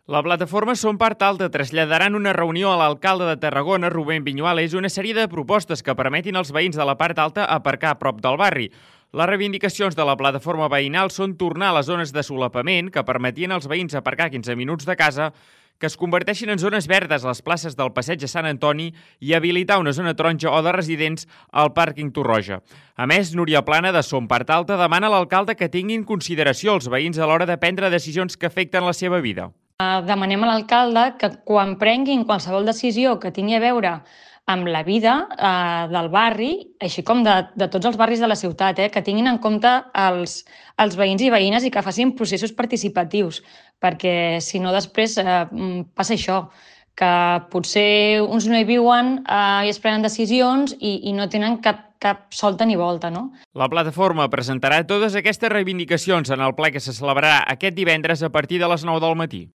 La plataforma Som Part Alta traslladaran una reunió a l'alcalde de Tarragona, Rubén Viñuales, una sèrie de propostes que permetin als veïns de la part alta aparcar a prop del barri. Les reivindicacions de la plataforma veïnal són tornar a les zones de solapament que permetien als veïns aparcar 15 minuts de casa, que es converteixin en zones verdes a les places del Passeig de Sant Antoni i habilitar una zona taronja o de residents al pàrquing Torroja. A més, Núria Plana, de Som Part Alta, demana a l'alcalde que tingui en consideració els veïns a l'hora de prendre decisions que afecten la seva vida. Demanem a l'alcalde que quan prenguin qualsevol decisió que tingui a veure amb la vida del barri, així com de tots els barris de la ciutat, que tinguin en compte els veïns i veïnes i que facin processos participatius, perquè si no després passa això, que potser uns no hi viuen i es prenen decisions i no tenen cap solta ni volta, no? La plataforma presentarà totes aquestes reivindicacions en el ple que se celebrarà aquest divendres a partir de les 9 del matí.